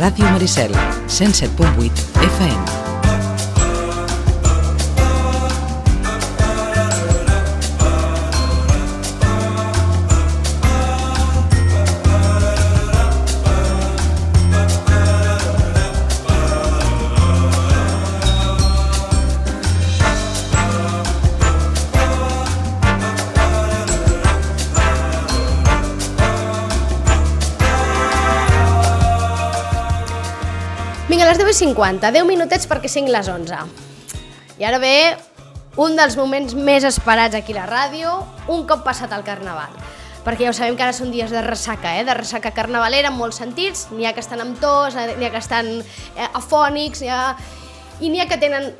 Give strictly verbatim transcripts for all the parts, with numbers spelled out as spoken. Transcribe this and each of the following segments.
Ràdio Maricel, cent set punt vuit F M. Vinga, a les deu i cinquanta, deu minutets perquè siguin les onze. I ara ve un dels moments més esperats aquí a la ràdio, un cop passat el Carnaval. Perquè ja ho sabem que ara són dies de ressaca, eh? De ressaca carnavalera en molts sentits. N'hi ha que estan amb tos, n'hi ha que estan eh, afònics, ha... i n'hi ha que tenen...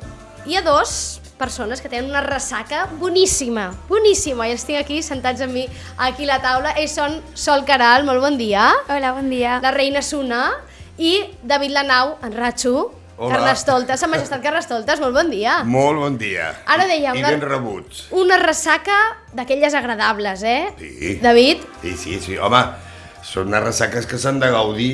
Hi ha dos persones que tenen una ressaca boníssima, boníssima, i els tinc aquí sentats amb mi aquí a la taula. Ells són Sol Caral, molt bon dia. Hola, bon dia. La Reina Suna. I David Lanau, en Ratxo, Carnestoltes, Sa Majestat Carnestoltes, molt bon dia. Molt bon dia. Ara deia una, I ben rebuts. Una ressaca d'aquelles agradables, eh? Sí. David? Sí, sí, sí. Home, són unes ressaques que s'han de gaudir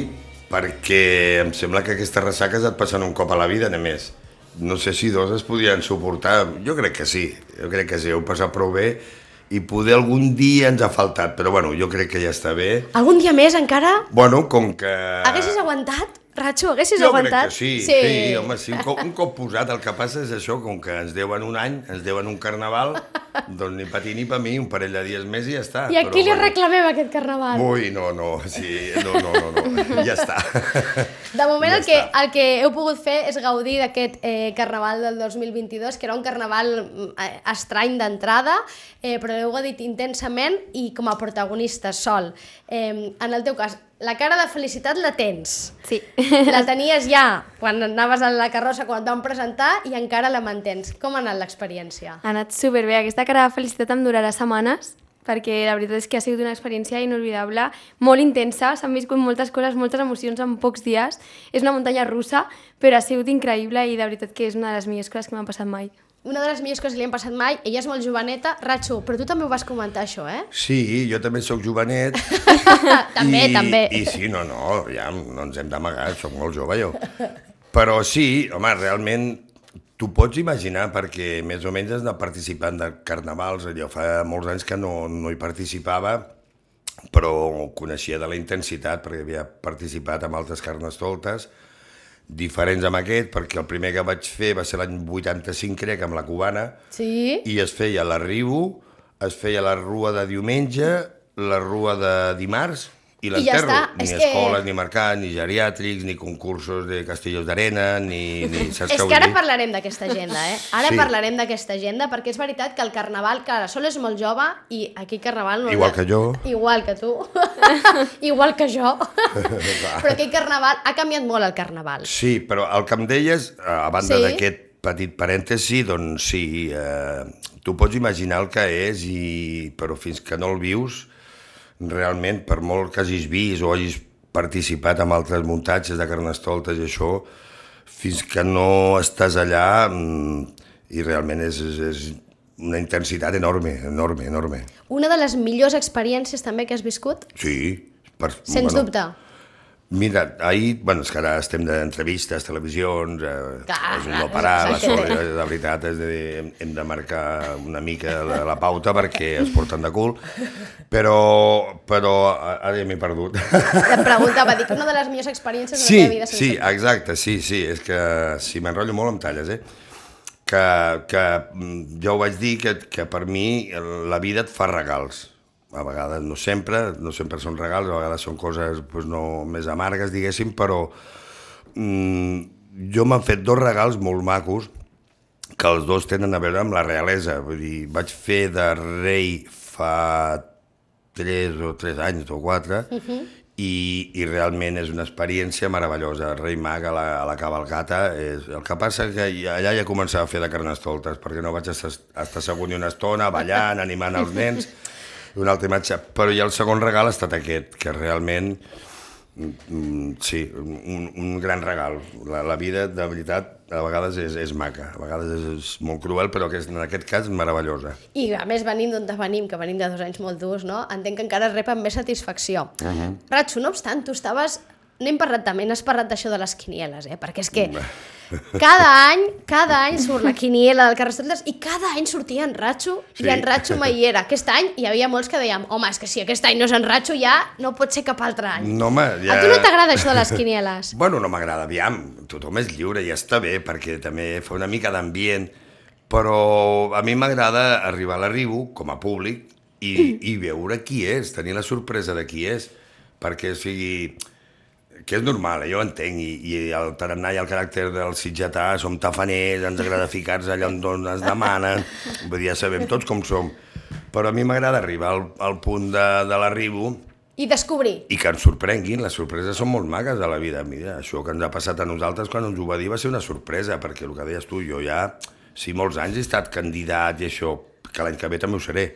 perquè em sembla que aquestes ressaques et passen un cop a la vida, només. No sé si dos es podien suportar. Jo crec que sí. Jo crec que sí, heu passat prou bé. I poder algun dia ens ha faltat, però bueno, jo crec que ja està bé. Algun dia més encara? Bueno, com que... Haguessis aguantat? Ratxo, haguessis jo aguantat? Jo crec que sí, sí, sí home, sí, un cop, un cop posat. El que passa és això, com que ens deuen un any, ens deuen un carnaval, doncs ni per ti ni per mi, un parell de dies més i ja està. I a qui li bueno. reclamem aquest carnaval? Ui, no, no, sí, no, no, no, no, ja està. De moment ja el, que, el que heu pogut fer és gaudir d'aquest eh, carnaval del dos mil vint-i-dos, que era un carnaval eh, estrany d'entrada, eh, però l'heu gaudit intensament i com a protagonista, Sol. Eh, en el teu cas, la cara de felicitat la tens. Sí. La tenies ja quan anaves a la carrossa, quan et vam presentar, i encara la mantens. Com ha anat l'experiència? Ha anat superbé. Aquesta cara de felicitat em durarà setmanes, perquè la veritat és que ha sigut una experiència inolvidable, molt intensa, s'han viscut moltes coses, moltes emocions en pocs dies. És una muntanya russa, però ha sigut increïble i de veritat que és una de les millors coses que m'han passat mai. Una de les millors coses que li han passat mai, ella és molt joveneta. Ratxo, però tu també ho vas comentar, això, eh? Sí, jo també sóc jovenet. també, i, també. I sí, no, no, ja no ens hem d'amagar, soc molt jove jo. Però sí, home, realment t'ho pots imaginar perquè més o menys has anat participant de carnavals. Jo fa molts anys que no, no hi participava, però coneixia de la intensitat perquè havia participat en altres carnestoltes diferents amb aquest, perquè el primer que vaig fer va ser l'any vuitanta-cinc, crec, amb la cubana, sí. I es feia l'arribo, es feia la rua de diumenge, la rua de dimarts i l'enterro. Ja ni és escoles, que... ni mercats, ni geriàtrics, ni concursos de castellos d'arena, ni... ni saps és que que ara dir? Parlarem d'aquesta agenda, eh? Ara sí. Parlarem d'aquesta agenda, perquè és veritat que el carnaval, que la Sol és molt jove, i aquí el carnaval... No Igual que jo. Igual que tu. Igual que jo. Però aquell carnaval, ha canviat molt el carnaval. Sí, però el que em deies, a banda sí? d'aquest petit parèntesi, doncs sí, eh, tu pots imaginar el que és, i, però fins que no el vius, realment, per molt que hagis vist o hagis participat en altres muntatges de carnestoltes i això, fins que no estàs allà, i realment és, és, és una intensitat enorme, enorme, enorme. Una de les millors experiències també que has viscut? Sí. Per, Sens bueno, dubte. Mira, ahir, bueno, és que ara estem d'entrevistes, televisions, eh, clar, és un clar, no parar, la és Sol, que... de veritat, és de, hem de marcar una mica la, la pauta perquè es porten de cul, però, però ara ja m'he perdut. Et preguntava, dic, una de les millors experiències sí, de la teva vida. Sí, sí, exacte, sí, sí, és que si m'enrotllo molt em talles, eh? Que, que jo ho vaig dir, que, que per mi la vida et fa regals. A vegades, no sempre, no sempre són regals, a vegades són coses pues, no, més amargues, diguéssim, però mm, jo m'han fet dos regals molt macos que els dos tenen a veure amb la realesa. Vull dir, vaig fer de rei fa tres o tres anys o quatre, uh-huh. i, i realment és una experiència meravellosa. El rei mag a la, a la cavalcata, és, el que passa que allà ja començava a fer de carnestoltes, perquè no vaig estar, estar segut una estona ballant, animant els nens, una altra imatge, però ja el segon regal ha estat aquest, que realment, mm, sí, un, un gran regal. La, la vida, de veritat, a vegades és, és maca, a vegades és, és molt cruel, però que és, en aquest cas, meravellosa. I a més, venim d'on venim, que venim de dos anys molt durs, no? Entenc que encara rep amb més satisfacció. Uh-huh. Ratxo, no obstant, tu estaves no hem parlat també, no has parlat d'això de les quinieles, eh? Perquè és que cada any, cada any surt la quiniela del Carnestoltes i cada any sortia en Ratxo sí. I en Ratxo mai hi era. Aquest any hi havia molts que dèiem, home, és que si aquest any no és en Ratxo ja no pot ser cap altre any. No, home, ja... A tu no t'agrada això de les quinieles? Bueno, no m'agrada, aviam, tothom és lliure i està bé perquè també fa una mica d'ambient, però a mi m'agrada arribar a l'arribo com a públic i, i veure qui és, tenir la sorpresa de qui és, perquè o sigui, que és normal, jo ho entenc, i, i el tarannà i el caràcter del sitgetà som tafaners, ens agrada ficar-nos allà on ens demanen, vull dir, ja sabem tots com som, però a mi m'agrada arribar al, al punt de, de l'arribo i descobrir. I que ens sorprenguin, les sorpreses són molt maques a la vida. Mira, això que ens ha passat a nosaltres quan ens ho va dir va ser una sorpresa, perquè el que deies tu, jo ja, si molts anys he estat candidat i això, que l'any que ve també ho seré,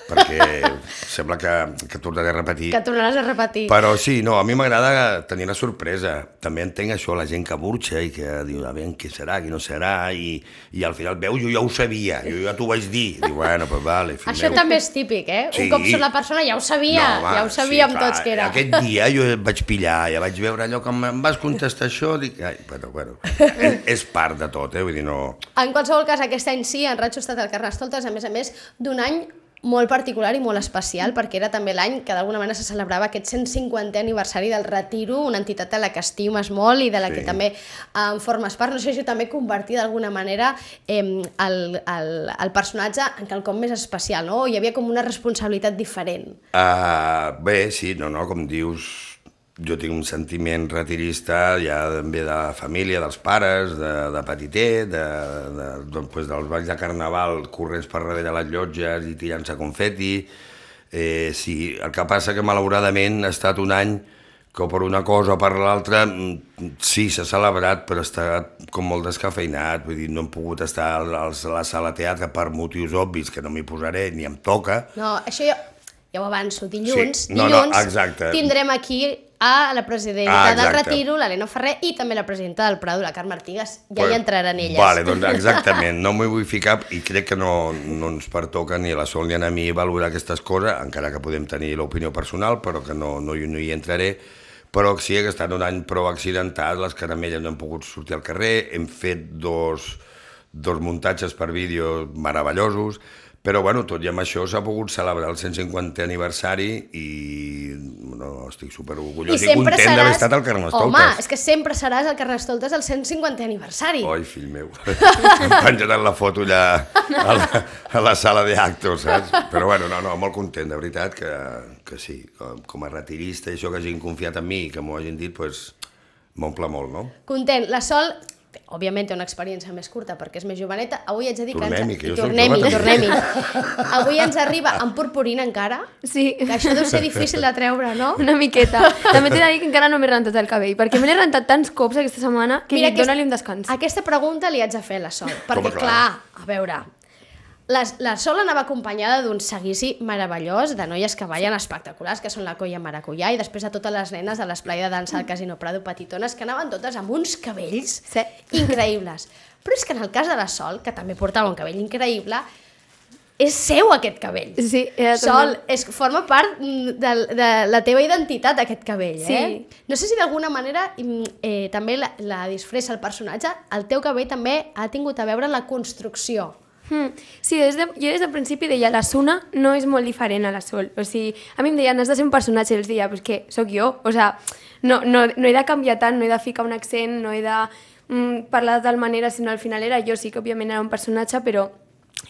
perquè sembla que, que tornaré a repetir. Que tornaràs a repetir. Però sí, no, a mi m'agrada tenir la sorpresa. També entenc això, la gent que burxa i que diu, a veure, què serà, què no serà, i, i al final veus, jo ja ho sabia, jo ja t'ho vaig dir. Diu, bueno, pues vale, fill Això meu. també és típic, eh? Sí. Un cop surt la persona ja ho sabia, no, va, ja ho sabíem sí, tots que era. Aquest dia jo vaig pillar, ja vaig veure allò que em vas contestar això, dic, ai, però bueno, és, és part de tot, eh? Vull dir, no... En qualsevol cas, aquest any sí, en Ratxo ha estat al Carnestoltes, a més a més, d'un any molt particular i molt especial, perquè era també l'any que d'alguna manera se celebrava aquest cent cinquantè aniversari del Retiro, una entitat a la que estimes molt i de la sí. que també en formes part. No sé si també convertir d'alguna manera eh, el, el, el personatge en quelcom més especial, no? Hi havia com una responsabilitat diferent. Uh, bé, sí, no, no, com dius, jo tinc un sentiment retirista ja també de la família, dels pares, de, de petitet, de, de, de, pues, dels balls de carnaval corrents per darrere les llotges i tirant-se confeti. Eh, sí, el que passa que malauradament ha estat un any que per una cosa o per l'altra sí, s'ha celebrat, però està com molt descafeinat, vull dir, no hem pogut estar a la sala de teatre per motius obvis que no m'hi posaré ni em toca. No, això jo, ja ho avanço, dilluns, sí. no, dilluns no, tindrem aquí a la presidenta ah, del Retiro, l'Helena Ferrer, i també la presidenta del Prado, la Carme Artigas, ja pues, hi entraran elles. Vale, doncs exactament, no m'hi vull ficar i crec que no, no ens pertoca ni a la Sol ni a mi valorar aquestes coses, encara que podem tenir l'opinió personal, però que no, no, no hi entraré, però sí que ha estat un any prou accidentat, les caramelles no han pogut sortir al carrer, hem fet dos, dos muntatges per vídeo meravellosos, però bueno, tot i amb això s'ha pogut celebrar el cent cinquantè aniversari i no, estic superorgullós i, i content seràs... d'haver estat al Carnestoltes. Home, és que sempre seràs al Carnestoltes el cent cinquantè aniversari. Oi, fill meu, em penjaran la foto allà a la, a la sala d'actos, saps? Però bueno, no, no, molt content, de veritat, que, que sí, com, com a retirista, i això que hagin confiat en mi i que m'ho hagin dit, doncs m'omple molt, no? Content. La Sol... òbviament té una experiència més curta perquè és més joveneta. Avui haig de dir tornem-hi, que... Ens... que tornem-hi, tornem-hi. Avui ens arriba amb purpurina encara. Sí. Que això deu ser difícil de treure, no? Una miqueta. També t'he de dir que encara no m'he rentat el cabell, perquè me l'he rentat tants cops aquesta setmana que Mira, dona-li un descans. Aquesta pregunta li haig de fer a la Sol, perquè Com, clar, a veure... La, la Sol anava acompanyada d'un seguici meravellós de noies que ballen espectaculars, que són la Colla Maracuyà, i després de totes les nenes de l'esplai de dansa al Casino Prado petitones, que anaven totes amb uns cabells sí. increïbles. Però és que en el cas de la Sol, que també portava un cabell increïble, és seu aquest cabell. Sí, Sol, és, forma part de, de la teva identitat, aquest cabell. Sí. Eh? No sé si d'alguna manera eh, també la, la disfressa el personatge, el teu cabell també ha tingut a veure en la construcció. Hmm. Sí, des de, jo des del principi deia la Suna no és molt diferent a la Sol, o sigui, a mi em deien has de ser un personatge i els deia, pues que sóc jo, o sea, no, no, no he de canviar tant, no he de ficar un accent, no he de mm, parlar de tal manera, sinó al final era jo, sí que òbviament era un personatge, però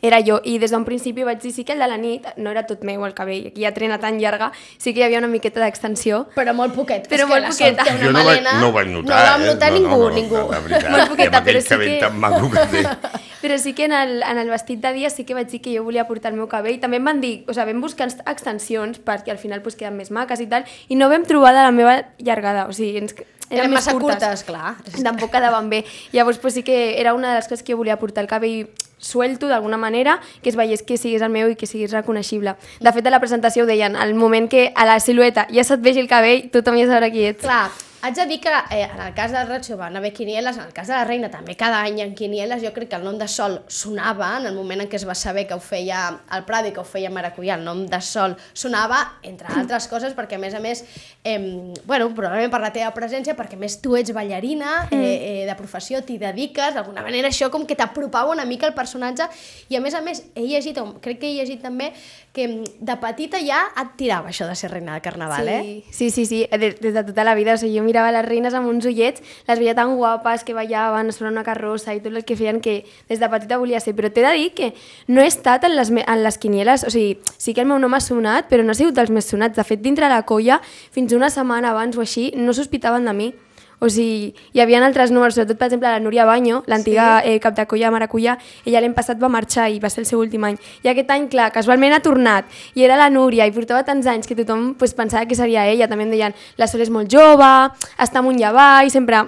era jo, i des d'un principi vaig dir sí que el de la nit no era tot meu el cabell, aquí hi ha trena tan llarga, sí que hi havia una miqueta d'extensió. Però molt poquet, però molt poqueta. Jo no, vaig, no ho vaig notar, no ho vam notar eh? ningú, no, no, ningú. No, la veritat, molt poqueta, i amb aquell però sí cabell que... tan maco que té. Però sí que en el, en el vestit de dia sí que vaig dir que jo volia portar el meu cabell. També em van dir, o sigui, vam buscar extensions perquè al final pues, queden més maques i tal, i no vam trobar de la meva llargada, o sigui, ens... eren, eren massa curtes, curtes clar. Tampoc quedaven bé. Llavors pues, sí que era una de les coses que jo volia portar el cabell suelto d'alguna manera, que es veiés que siguis el meu i que siguis reconeixible. De fet, a la presentació ho deien, al moment que a la silueta ja se't vegi el cabell, tothom ja sabrà qui ets. Clar, Haig de dir que eh, en el cas del Ratxo van haver quinieles, en el cas de la Reina també cada any en quinieles, jo crec que el nom de Sol sonava en el moment en què es va saber que ho feia el Prado i que ho feia Maracuyà, el nom de Sol sonava, entre altres coses, perquè a més a més, eh, bueno, probablement per la teva presència, perquè a més tu ets ballarina, eh, eh, de professió, t'hi dediques, d'alguna manera això com que t'apropava una mica el personatge, i a més a més he llegit, crec que he llegit també, que de petita ja et tirava això de ser reina de Carnaval, sí. eh? Sí, sí, sí, des, des de tota la vida, o sigui, jo mirava les reines amb uns ullets, les veia tan guapes que ballaven sobre una carrossa i tot el que feien que des de petita volia ser, però t'he de dir que no he estat en les, en les quinieles, o sigui, sí que el meu nom ha sonat, però no ha sigut dels més sonats, de fet dintre la colla, fins una setmana abans o així, no sospitaven de mi. O sigui, hi havia altres números, sobretot, per exemple, la Núria Baño, l'antiga sí. eh, cap de colla de Maracuyà, ella l'any passat va marxar i va ser el seu últim any. I aquest any, clar, casualment ha tornat, i era la Núria, i portava tants anys que tothom pues, pensava que seria ella. També em deien, la Sol és molt jove, està amunt i avall, sempre...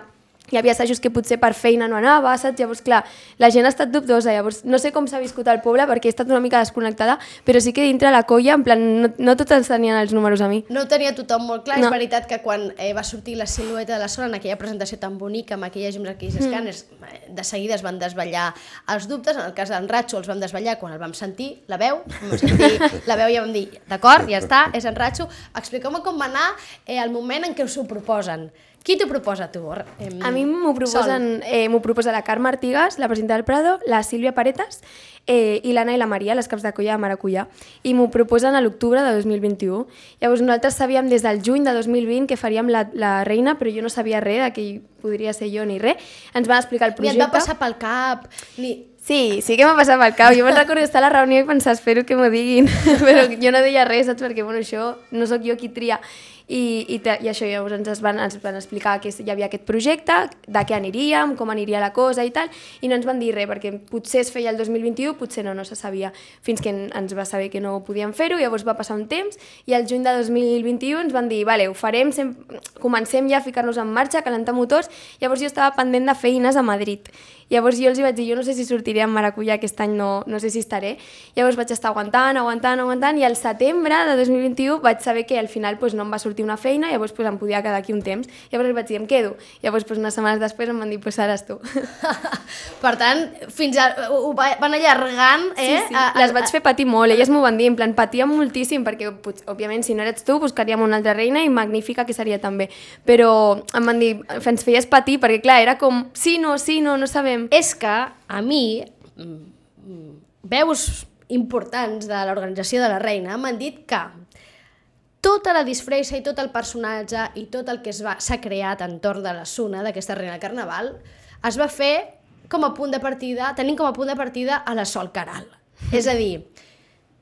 Hi havia assajos que potser per feina no anava, saps? Llavors, clar, la gent ha estat dubtosa, llavors no sé com s'ha viscut al poble perquè he estat una mica desconnectada, però sí que dintre la colla, en plan, no, no tots ens tenien els números a mi. No ho tenia tothom molt clar, no. És veritat que quan eh, va sortir la silueta de la Sol en aquella presentació tan bonica, amb aquelles llums, aquells mm. escàners, de seguida es van desvetllar els dubtes, en el cas d'en Ratxo els vam desvetllar quan el vam sentir, la veu, vam sentir la veu i vam dir, d'acord, ja està, és en Ratxo, expliqueu-me com va anar eh, el moment en què us ho proposen. Qui t'ho proposa, tu? Eh, a mi m'ho proposen, eh, m'ho proposa la Carme Artigas, la presidenta del Prado, la Sílvia Paretas eh, i l'Anna i la Maria, les caps de colla de Maracuyà, i m'ho proposen a l'octubre de dos mil vint-i-u. Llavors nosaltres sabíem des del juny de dos mil vint que faríem la, la Reina, però jo no sabia res de que podria ser jo ni res. Ens van explicar el projecte. Ni et va passar pel cap, ni... Sí, sí que m'ha passat pel cap. Jo me'n recordo estar a la reunió i pensar, espero que m'ho diguin, però jo no deia res, saps? Perquè bueno, això no sóc jo qui tria. I, i, i això, llavors ens van, ens van explicar que hi havia aquest projecte, de què aniríem, com aniria la cosa i tal, i no ens van dir res, perquè potser es feia el dos mil vint-i-u, potser no, no se sabia, fins que ens va saber que no podíem fer-ho, llavors va passar un temps, i al juny de dos mil vint-i-u ens van dir, vale, ho farem, sem... comencem ja a ficar-nos en marxa, a calentar motors, llavors jo estava pendent de feines a Madrid. Llavors jo els vaig dir, jo no sé si sortiré en Maracuyà aquest any, no, no sé si estaré. Llavors vaig estar aguantant, aguantant, aguantant, i al setembre de dos mil vint-i-u vaig saber que al final pues, no em va sortir una feina, llavors pues, em podia quedar aquí un temps. Llavors els vaig dir, em quedo. Llavors pues, unes setmanes després em van dir, pues ara tu. Per tant, fins a, ho van allargant, eh? Sí, sí. A, a, Les vaig fer patir molt, elles m'ho van dir, en plan, patíem moltíssim, perquè, pues, òbviament, si no eres tu, buscaríem una altra reina i magnífica que seria també. Però em van dir, ens feies patir, perquè clar, era com, sí, no, sí, no, no sabem. És que a mi, veus importants de l'organització de la Reina m'han dit que tota la disfressa i tot el personatge i tot el que s'ha creat entorn de la Suna, d'aquesta Reina del Carnaval, es va fer com a punt de partida, tenint com a punt de partida a la Sol Queralt. És a dir,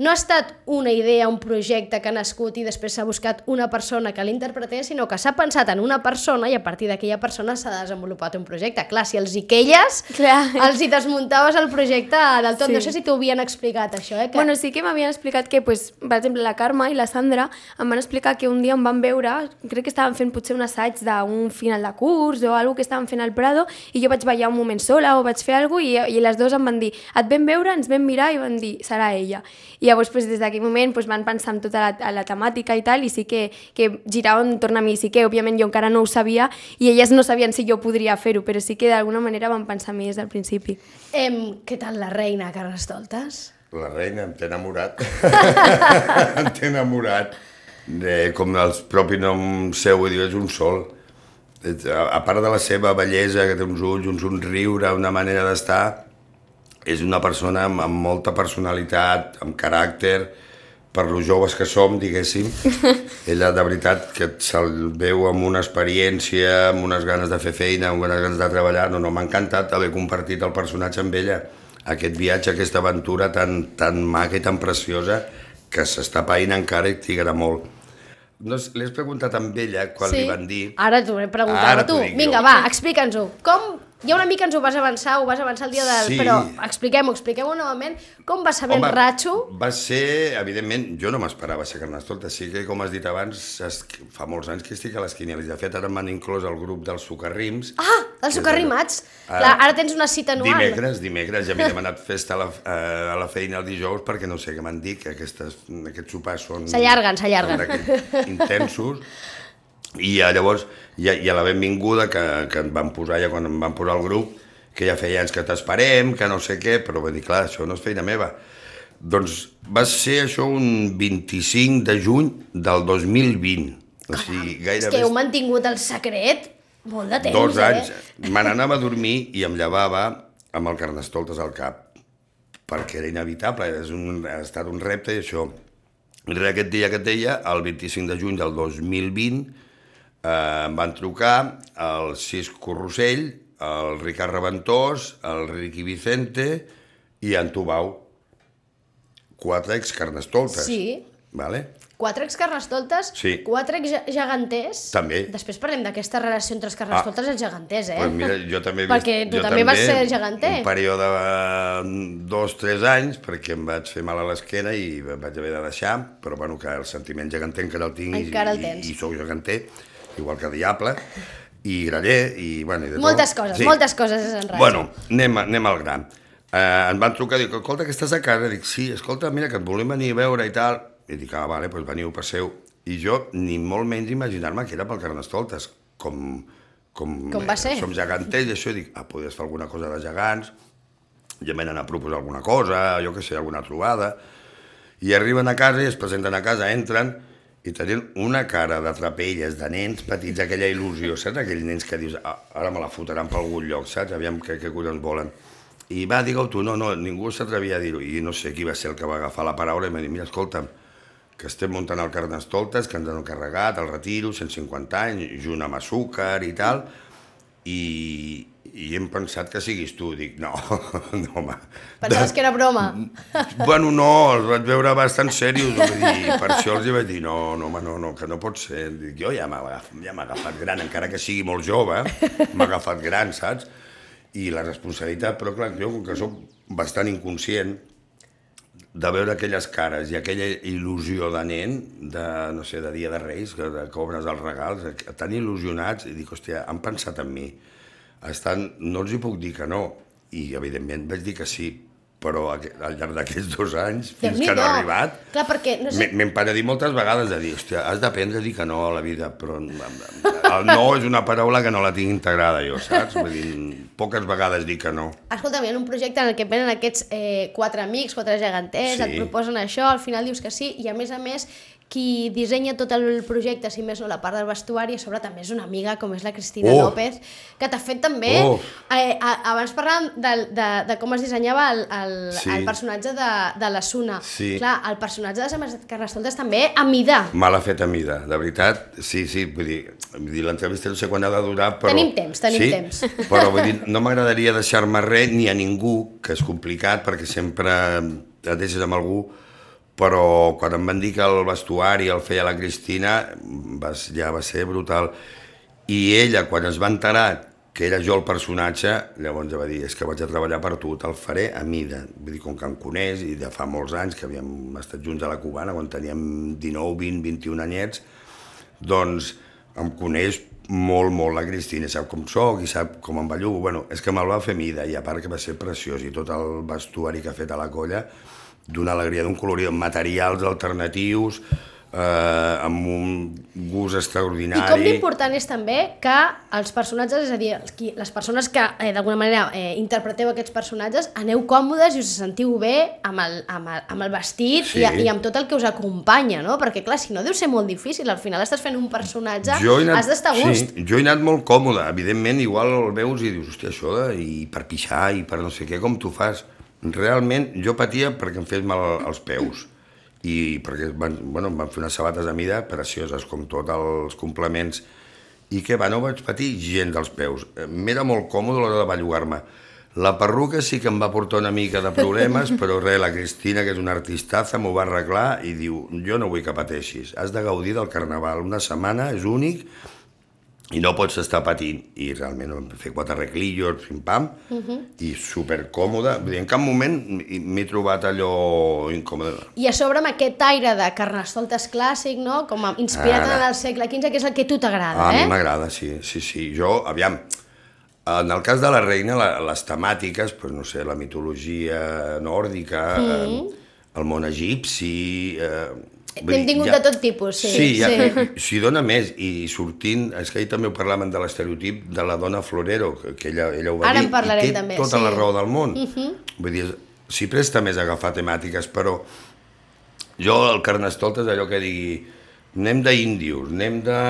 no ha estat una idea, un projecte que ha nascut i després s'ha buscat una persona que l'interpretés, sinó que s'ha pensat en una persona i a partir d'aquella persona s'ha desenvolupat un projecte. Clar, si els hi queies, Clar. els hi desmuntaves el projecte del tot. Sí. No sé si t'ho havien explicat, això. Eh? Que... Bueno, sí que m'havien explicat que, pues, per exemple, la Carme i la Sandra em van explicar que un dia em van veure, crec que estaven fent potser un assaig d'un final de curs o alguna que estaven fent al Prado, i jo vaig ballar un moment sola o vaig fer alguna cosa i, i les dues em van dir, et vam veure, ens vam mirar i van dir, serà ella. I llavors, pues, des d'aquell moment pues, van pensar en tota la, la temàtica i tal, i sí que, que giraven entorn a mi, sí que òbviament jo encara no ho sabia i elles no sabien si jo podria fer-ho, però sí que d'alguna manera van pensar en mi des del principi. Em, què tal la Reina, Carnestoltes? La Reina, em té enamorat. em té enamorat. De, com el propi nom seu, diu, és un sol. A, a part de la seva bellesa, que té uns ulls, un somriure, una manera d'estar, és una persona amb, amb molta personalitat, amb caràcter, per lo joves que som, diguéssim. Ella, de veritat, que se'l veu amb una experiència, amb unes ganes de fer feina, amb unes ganes de treballar. No, no, m'ha encantat haver compartit el personatge amb ella. Aquest viatge, aquesta aventura tan, tan maca i tan preciosa que s'està païnt encara i t'hi agrada molt. No, li has preguntat amb ella quan sí. li van dir... Ara t'ho he preguntat a tu. Vinga, va, explica'ns-ho. Com... Ja una mica ens ho vas avançar, ho vas avançar el dia del... Sí. Però expliquem-ho, expliquem-ho novament. Com va saber Home, en Ratxo? Va ser, evidentment, jo no m'esperava ser Carnestoltes. Sí que, com has dit abans, es, fa molts anys que estic a les quinieles. De fet, ara m'han inclòs al grup dels Socarrims. Ah, dels Socarrimats! Ara, ara tens una cita anual. Dimecres, dimecres. Ja m'he demanat festa a la, a la feina el dijous perquè no sé què m'han dit, que aquestes, aquests sopars són... S'allarguen, s'allarguen. Intensos. I llavors, i a, i a la benvinguda que, que em van posar ja quan em van posar al grup, que ja feia anys que t'esperem, que no sé què, però va dir, clar, això no és feina meva. Doncs va ser això un vint-i-cinc de juny del dos mil vint. O sigui, gairebé... És que heu mantingut el secret molt de temps, Dos anys. eh? Me n'anava a dormir i em llevava amb el Carnestoltes al cap, perquè era inevitable, és un, ha estat un repte i això. I res, aquest dia que et deia, el vint-i-cinc de juny del dos mil vint, eh, em van trucar el Cisco Rossell, el Ricard Reventós, el Riqui Vicente i en Tubau. Quatre ex-Carnestoltes. Sí. Vale? Quatre ex-carnestoltes, Sí. quatre ex-geganters. També. Després parlem d'aquesta relació entre els carnestoltes ah. i els geganters, eh? Pues mira, jo també he vist, perquè tu jo també vas ser geganter. Un període de dos, tres anys, perquè em vaig fer mal a l'esquena i em vaig haver de deixar, però bueno, que el sentiment geganter encara el tinc encara el i, tens. i, i sóc geganter, igual que Diable, i Graller, i bueno... I de moltes tot. coses, Sí. moltes coses en ràdio. Bueno, anem, anem al gran. Eh, em van trucar i dic, escolta, que estàs a casa? Dic, sí, escolta, mira, que et volem venir a veure i tal. I dic, ah, vale, doncs veniu, passeu. I jo ni molt menys imaginar-me que era pel Carnestoltes, com, com, com va ser? Eh, som geganters i això, i dic, ah, podries fer alguna cosa de gegants, ja m'he d'anar a proposar alguna cosa, jo què sé, alguna trobada. I arriben a casa i es presenten a casa, entren, i tenien una cara de trapelles, de nens petits, aquella il·lusió, saps? Aquells nens que dius, ah, ara me la fotran per algun lloc, saps? Aviam què, què collons volen. I va, digue-ho tu, no, no, ningú s'atrevia a dir-ho. I no sé qui va ser el que va agafar la paraula i m'ha dit, mira, escolta'm, que estem muntant el Carnestoltes, que ens han encarregat, el retiro, cent cinquanta anys, junt amb azúcar i tal, i, i hem pensat que siguis tu. Dic, no, no, home. Pensaves que era broma? Bueno, no, els vaig veure bastant serios, vull dir, per això els vaig dir, no, no, home, no, no, que no pot ser. Dic, jo ja m'ha ja m'ha agafat gran, encara que sigui molt jove, m'ha agafat gran, saps? I la responsabilitat, però clar, jo com que soc bastant inconscient, de veure aquelles cares i aquella il·lusió de nen, de, no sé, de Dia de Reis, que, que obres els regals, tan il·lusionats, i dic, hòstia, han pensat en mi. Estan, no els hi puc dir que no, i evidentment vaig dir que sí, però al llarg d'aquests dos anys, fins que han arribat, clar, perquè, no sé... m'hem parat moltes vegades de dir, hòstia, has d'aprendre a dir que no a la vida, però el no és una paraula que no la tinc integrada jo, saps? Vull dir, poques vegades dic que no. Escolta'm, hi ha un projecte en el que venen aquests eh, quatre amics, quatre geganters, Sí. et proposen això, al final dius que sí, i a més a més, qui dissenya tot el projecte, si més no la part del vestuari, a sobre també és una amiga, com és la Cristina Oh! López, que t'ha fet també... Oh! Eh, a, abans parlàvem de, de, de com es dissenyava el, el, Sí. el personatge de, de la Suna. Sí. Clar, el personatge de Samarset Carnestoltes també a mida. Me l'ha fet a mida, de veritat, sí, sí, vull dir, vull dir l'entrevista no sé quan ha de durar, però... Tenim temps, tenim sí? temps. Però vull dir, no m'agradaria deixar-me res ni a ningú, que és complicat, perquè sempre et deixes amb algú, però quan em van dir que el vestuari el feia la Cristina, va, ja va ser brutal. I ella, quan es va enterar que era jo el personatge, llavors ja va dir, és que vaig a treballar per tu, te'l faré a mida. Vull dir, com que em coneix, i de fa molts anys, que havíem estat junts a la Cubana, quan teníem dinou, vint, vint-i-un anyets, doncs em coneix molt, molt la Cristina, sap com soc i sap com em bellugo. Bueno, és que me'l va fer mida, i a part que va ser preciós, i tot el vestuari que ha fet a la colla, d'una alegria, d'un colorit, amb materials alternatius, eh, amb un gust extraordinari. I com d'important és també que els personatges, és a dir, els qui, les persones que eh, d'alguna manera eh, interpreteu aquests personatges, aneu còmodes i us sentiu bé amb el, amb el, amb el vestit Sí. i, i amb tot el que us acompanya, no? Perquè clar, si no deu ser molt difícil, al final estàs fent un personatge, anat, has d'estar a gust. Sí, jo he anat molt còmode, evidentment, igual el veus i dius, hòstia, això de, i per pixar i per no sé què, com tu fas? Realment, jo patia perquè em fes mal als peus i perquè van, bueno, em van fer unes sabates a mida precioses, com tots els complements, i que va, no vaig patir gens dels peus. M'era molt còmode a l'hora de bellugar-me. La perruca sí que em va portar una mica de problemes, però res, la Cristina, que és una artistaza, m'ho va arreglar i diu, jo no vull que pateixis, has de gaudir del carnaval, una setmana és únic, i no pots estar patint. I realment vam fer quatre reclillos, pim-pam, uh-huh. i supercòmode. Vull dir, en cap moment m'he trobat allò incòmode. I a sobre amb aquest aire de Carnestoltes clàssic, no? Com a inspirat Ara. en el segle quinze, que és el que a tu t'agrada, A eh? mi m'agrada, sí, sí, sí. Jo, aviam, en el cas de la reina, la, les temàtiques, pues, no sé, la mitologia nòrdica, mm. eh, el món egipci, eh, N'hem tingut ja... de tot tipus, sí. Sí, ja, sí. S'hi dona més, i sortint, és que ahir també ho parlaven de l'estereotip de la dona florero, que, que ella, ella ho va Ara dir, i té també, tota sí. la raó del món. Uh -huh. Vull dir, s'hi presta més a agafar temàtiques, però jo el Carnestoltes allò que digui anem d'índios, anem de,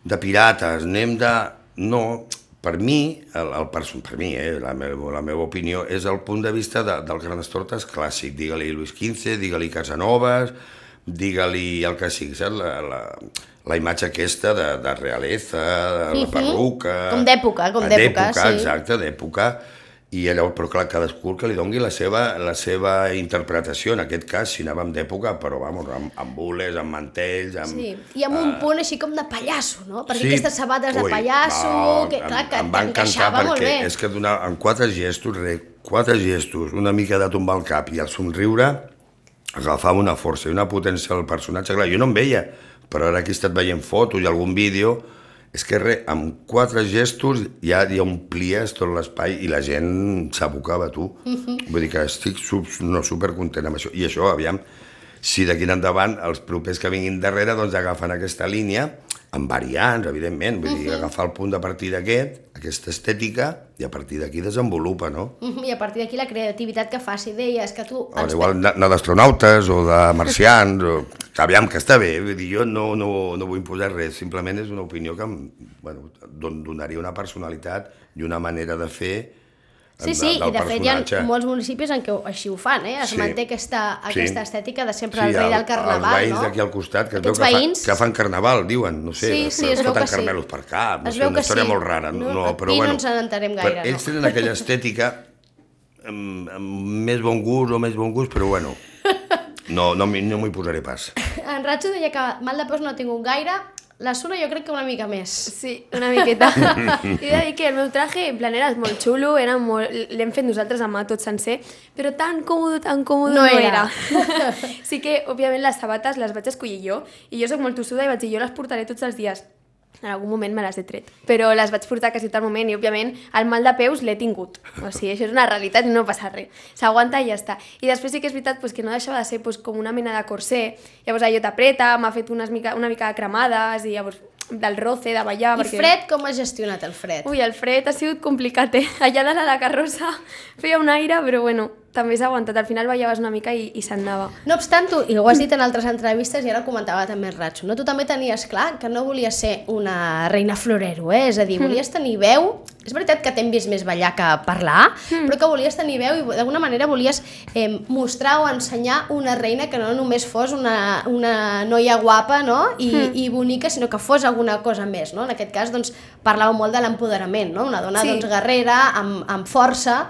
de pirates, anem de... No, per mi, el, el person, per mi eh, la, meva, la meva opinió, és el punt de vista de, del Carnestoltes clàssic. Digue-li Luis quinze, digue-li Casanovas, digue-li el que sigui, saps? La, la, la imatge aquesta de, de realeza, de la perruca... Com d'època, com d'època, sí. Exacte, d'època. I allò, però clar, cadascú que li doni la seva, la seva interpretació, en aquest cas, si anàvem d'època, però vamos, amb, amb bules, amb mantells, amb... Sí, i amb un punt així com de pallasso, no? Perquè sí. aquestes sabates de Ui, pallasso, no, que clar, que em va t'encaixava molt bé. És que donar, en quatre gestos, re, quatre gestos, una mica de tombar el cap i el somriure, agafava una força i una potència al personatge. Clar, jo no em veia, però ara aquí he estat veient fotos i algun vídeo, és que res, amb quatre gestos ja, ja omplies tot l'espai i la gent s'abocava a tu. Uh-huh. Vull dir que estic sub, no, supercontent amb això. I això, aviam, si d'aquí en endavant els propers que vinguin darrere doncs agafen aquesta línia, amb variants, evidentment, vull dir, uh-huh. agafar el punt de partida aquest, aquesta estètica, i a partir d'aquí desenvolupa, no? Uh-huh. I a partir d'aquí la creativitat que faci, deies que tu... O igual anar d'astronautes o de marcians, o... aviam, que està bé, vull dir, jo no, no, no vull imposar res, simplement és una opinió que em, bueno, donaria una personalitat i una manera de fer Sí, sí, de, i de fet hi ha molts municipis en què així ho fan, eh? Es sí. manté aquesta, aquesta sí. estètica de sempre sí, el rei el, del carnaval, no? Els veïns d'aquí al costat, que es veu que, veïns... fa, que fan carnaval, diuen, no sé, sí, sí, es foten sí. carmelos per cap, no es sé, una història sí. molt rara. No, no, però, aquí bueno, no ens n'entenem gaire, no. Ells no? tenen aquella estètica amb, amb més bon gust o més bon gust, però bueno, no, no, no m'hi posaré pas. En Ratxo deia que mal de peus no ha tingut gaire, la Suna jo crec que una mica més. Sí, una miqueta. I he de dir que el meu traje, en plan, era molt xulo, era molt... l'hem fet nosaltres a mà tot sencer, però tan còmode, tan còmode no, no era. era. Sí que, òbviament, les sabates les vaig escollir jo, i jo soc molt tossuda i vaig dir, jo les portaré tots els dies. En algun moment me les he tret, però les vaig portar quasi tot el moment i, òbviament, el mal de peus l'he tingut. O sigui, això és una realitat i no passa res. S'aguanta i ja està. I després sí que és veritat pues, que no deixava de ser pues, com una mena de corsé. Llavors allò t'apreta, m'ha fet unes mica, una mica de cremades i llavors del roce, de ballar... I perquè... fred, com has gestionat el fred? Ui, el fred ha sigut complicat, eh? Allà dalt a la carrossa feia un aire, però bueno, també s'ha aguantat. Al final ballaves una mica i, i s'anava. No obstant, tu, i ho has dit en altres entrevistes i ara ho comentava també el Ratxo, no? Tu també tenies clar que no volies ser una reina florero, eh? És a dir, volies tenir veu... És veritat que t'hem vist més ballar que parlar, mm. però que volies tenir veu i d'alguna manera volies eh, mostrar o ensenyar una reina que no només fos una, una noia guapa, no? I, mm. i bonica, sinó que fos alguna cosa més, no? En aquest cas, doncs, parlàveu molt de l'empoderament, no? Una dona, sí. doncs, guerrera, amb, amb força...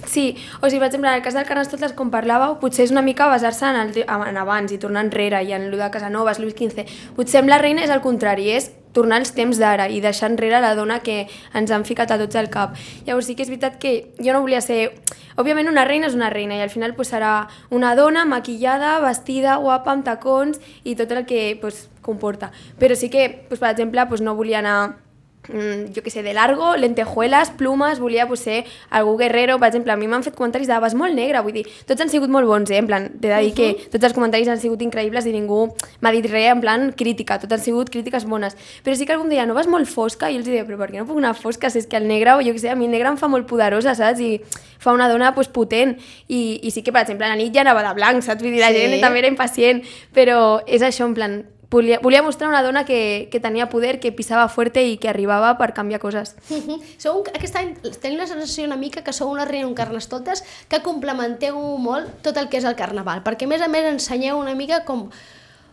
Sí, o sigui, per exemple, en el cas del Carnestoltes, com parlàveu, potser és una mica basar-se en, el, en abans i tornar enrere i en el de Casanovas, Luis quinze. Potser amb la reina és el contrari, és tornar als temps d'ara i deixar enrere la dona que ens han ficat a tots al cap. Llavors sí que és veritat que jo no volia ser... Òbviament una reina és una reina i al final pues, serà una dona maquillada, vestida, guapa, amb tacons i tot el que pues, comporta. Però sí que, pues, per exemple, pues, no volia anar... jo que sé, de largo, lentejuelas, plumes, volia pues, ser algú guerrero, per exemple, a mi m'han fet comentaris de vas molt negra, vull dir, tots han sigut molt bons, eh? En plan, t'he de dir que tots els comentaris han sigut increïbles i ningú m'ha dit res en plan crítica, tot han sigut crítiques bones, però sí que algun dia no vas molt fosca i els deia, però per què no puc anar fosca, si és que el negre, jo que sé, a mi el negre em fa molt poderosa, saps? I fa una dona pues, potent, i, i sí que, per exemple, a la nit ja anava de blanc, saps? Vull dir, la sí. gent també era impacient, però és això, en plan, Volia, volia mostrar una dona que, que tenia poder, que pisava fuerte i que arribava per canviar coses. Uh-huh. Sou un, aquest any tenim la sensació una mica que sou una reina, un Carnestoltes, que complementeu molt tot el que és el carnaval, perquè a més a més ensenyeu una mica com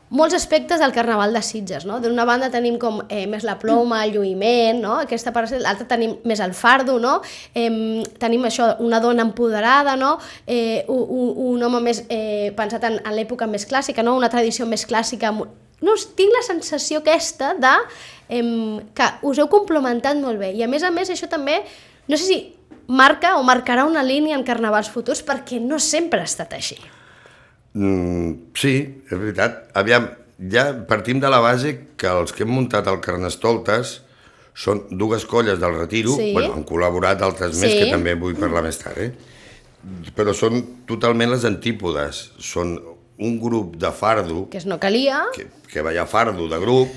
molts aspectes del carnaval de Sitges, no? D'una banda tenim com eh, més la ploma, el lluïment, no? Aquesta part, l'altra tenim més el fardo, no? Eh, tenim això, una dona empoderada, no? Eh, un, un home més eh, pensat en, en l'època més clàssica, no? Una tradició més clàssica. No, tinc la sensació aquesta de eh, que us heu complementat molt bé i a més a més això també, no sé si marca o marcarà una línia en carnavals futurs perquè no sempre ha estat així. Mm, sí, és veritat. Aviam, ja partim de la base que els que hem muntat el Carnestoltes són dues colles del Retiro, sí. Bueno, han col·laborat d'altres sí. més que també vull parlar més tard, eh? Però són totalment les antípodes, són un grup de fardo, Que és no calia. que, que veia fardo de grup,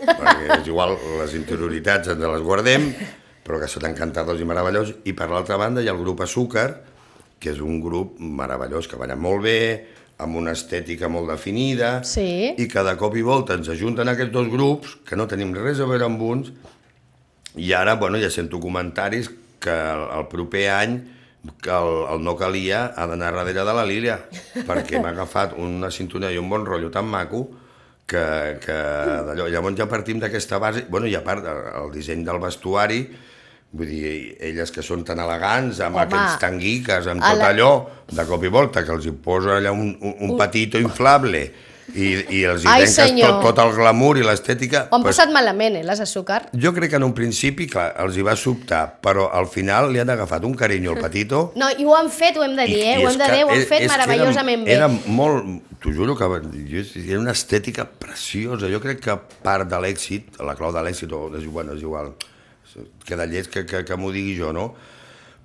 perquè és igual, les interioritats ens les guardem, però que són encantadors i meravellosos, i per l'altra banda hi ha el grup Azúcar, que és un grup meravellós, que balla molt bé, amb una estètica molt definida, Sí. i que de cop i volta ens ajunten aquests dos grups, que no tenim res a veure amb uns, i ara, bueno, ja sento comentaris que el, el proper any que el, el no calia ha d'anar darrere de la Lília, perquè m'ha agafat una sintonia i un bon rotllo tan maco que, que d'allò. Llavors ja partim d'aquesta base, bueno, i a part el disseny del vestuari, vull dir, elles que són tan elegants, amb Home, aquells tanguiques, amb a tot la- allò, de cop i volta, que els hi posa allà un, un, un patito inflable i, i els hi Ai, trenques senyor. tot, tot el glamour i l'estètica. Ho han pues, passat malament, eh, les Azúcar. jo crec que en un principi, clar, els hi va sobtar, però al final li han agafat un carinyo al patito. No, i ho han fet, ho hem de dir, eh? Ho és hem de que dir, ho han és- fet és que meravellosament era, bé. Era molt, t'ho juro que jo, era una estètica preciosa. Jo crec que part de l'èxit, la clau de l'èxit, o és, bueno, és igual, queda lleig que, que, que m'ho digui jo, no?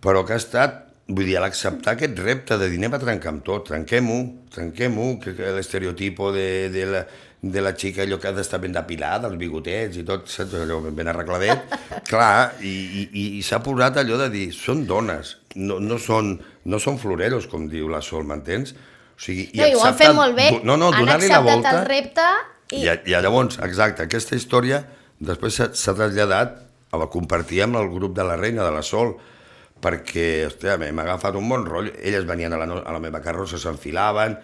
Però que ha estat, vull dir, l'acceptar aquest repte de dir anem a trencar amb tot, trenquem-ho, trenquem-ho, que, que l'estereotipo de, de, la, de la xica allò que ha d'estar ben depilada, els bigotets i tot, saps, allò ben arregladet, clar, i, i, i s'ha posat allò de dir, són dones, no, no, són, no són floreros, com diu la Sol, m'entens? O sigui, No, i ho han fet accepten- molt bé, no, no, han donar-li la acceptat volta, el repte i... i, i llavors, exacte, aquesta història després s'ha s'ha traslladat a compartir amb el grup de la Reina, de la Sol, perquè, hòstia, m'ha agafat un bon rotllo. Elles venien a la, no, a la meva carrossa, s'enfilaven,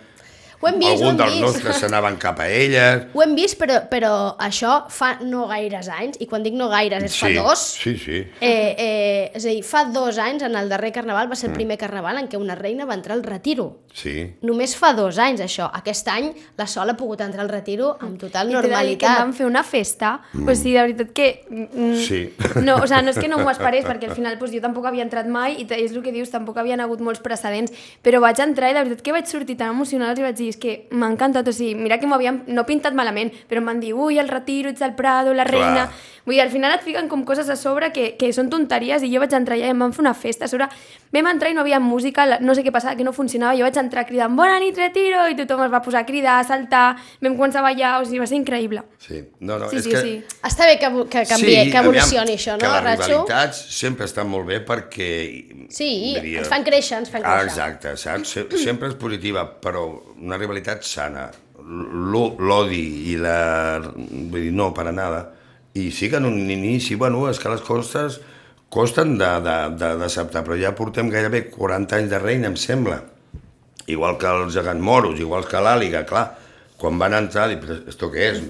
Ho hem vist, ho algun hem dels vist. nostres s'anaven cap a elles. Ho hem vist, però, però això fa no gaires anys, i quan dic no gaires és fa Sí, dos. sí, sí. Eh, eh, és a dir, fa dos anys, en el darrer carnaval, va ser Mm. el primer carnaval en què una reina va entrar al retiro. Sí. Només fa dos anys, això. Aquest any, la Sol ha pogut entrar al retiro amb total I t'he de dir que normalitat. vam fer una festa, mm. o sigui, de veritat que... Mm, Sí. No, o sigui, no és que no m'ho esperés, perquè al final pues, jo tampoc havia entrat mai, i és el que dius, tampoc havien hagut molts precedents, però vaig entrar i de veritat que vaig sortir tan emocional i vaig dir, és que m'ha encantat, o sigui, mira que m'ho havien, no pintat malament, però em van dir, ui, el retiro, ets el Prado, la reina... Clar. Vull dir, al final et fiquen com coses a sobre que, que són tonteries, i jo vaig entrar allà i em van fer una festa. A sobre vam entrar i no havia música, la- no sé què passava, que no funcionava, jo vaig entrar cridant bona nit, retiro, i tothom es va posar a cridar, a saltar, vam començar a ballar, o sigui, va ser increïble. Sí, no, no, Sí, és sí, que... sí. Està bé que, que canvie, que evolucioni aviam, això, que no, les Ratxo? rivalitats sempre estan molt bé perquè... Sí, diria- ens fan créixer, ens fan Ah, créixer. exacte, saps? Se- sempre és positiva, però una rivalitat sana. L'o- L'odi i la... Vull dir, no, para nada. I sí que en un inici, bueno, és que les costes costen d'acceptar, però ja portem gairebé quaranta anys de reina, em sembla. Igual que els gegants moros, igual que l'àliga, clar. Quan van entrar, dic, però esto què és?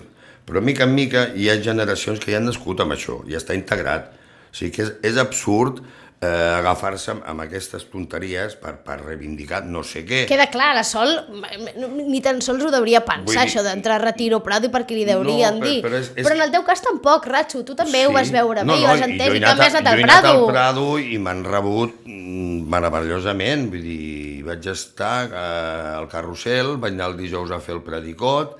Però mica en mica hi ha generacions que ja han nascut amb això, ja està integrat. O sigui que és, és absurd eh, agafar-se amb, amb aquestes tonteries per, per reivindicar no sé què. Queda clar, la Sol ni tan sols ho deuria pensar, Vull dir- això d'entrar a retiro Prado, i perquè li deurien No, però- dir. però és- és- Però en el teu cas tampoc, Ratxo, tu també ho vas veure no, bé, no, i ho has i entès, jo he i també has a- anat al jo he anat Prado. al Prado i m'han rebut mm, meravellosament, vull dir, vaig estar eh, al carrusel, vaig anar el dijous a fer el predicot,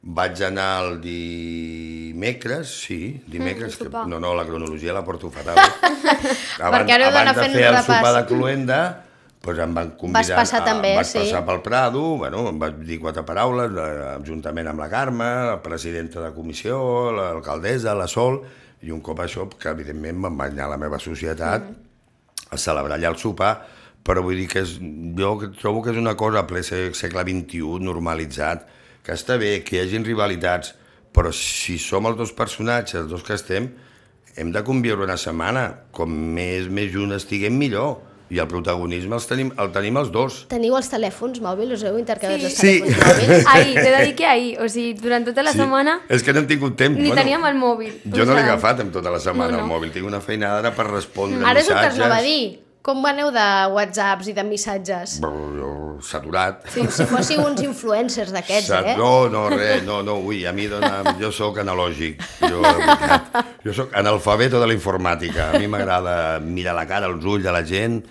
vaig anar el dimecres, sí, dimecres, Mm, que, sopar. no, no, la cronologia la porto fatal. abans, ara heu d'anar abans de fent fer un el repàs. sopar de cluenda, doncs em van convidar... passar a- també, vaig sí. passar pel Prado, bueno, em vaig dir quatre paraules, eh, juntament amb la Carme, la presidenta de comissió, l'alcaldessa, la Sol, i un cop això, que evidentment me'n vaig anar a la meva societat mm. a celebrar allà el sopar, però vull dir que és, jo trobo que és una cosa a ple se- segle vint-i-u, normalitzat, que està bé que hi hagin rivalitats, però si som els dos personatges, els dos que estem, hem de conviure una setmana, com més, més junts estiguem millor, i el protagonisme els tenim, el tenim els dos. Teniu els telèfons mòbils, us heu intercanviat Sí. els Sí. telèfons mòbils? Ahir, t'he de dir que ahir, o sigui, durant tota la Sí. setmana És que no hem tingut temps. ni teníem el mòbil. Jo o no l'he sigui, agafat en tota la setmana, No, no. el mòbil. Tinc una feinada ara per respondre Ara és el que missatges. es anava a dir. Com aneu de whatsapps i de missatges? Brr, jo, saturat. Sí, si fóssiu uns influencers d'aquests, Sat- eh? No, no, res, no, no, ui, a mi dona, jo sóc analògic, jo, de veritat, jo sóc analfabeto de la informàtica, a mi m'agrada mirar la cara, els ulls de la gent,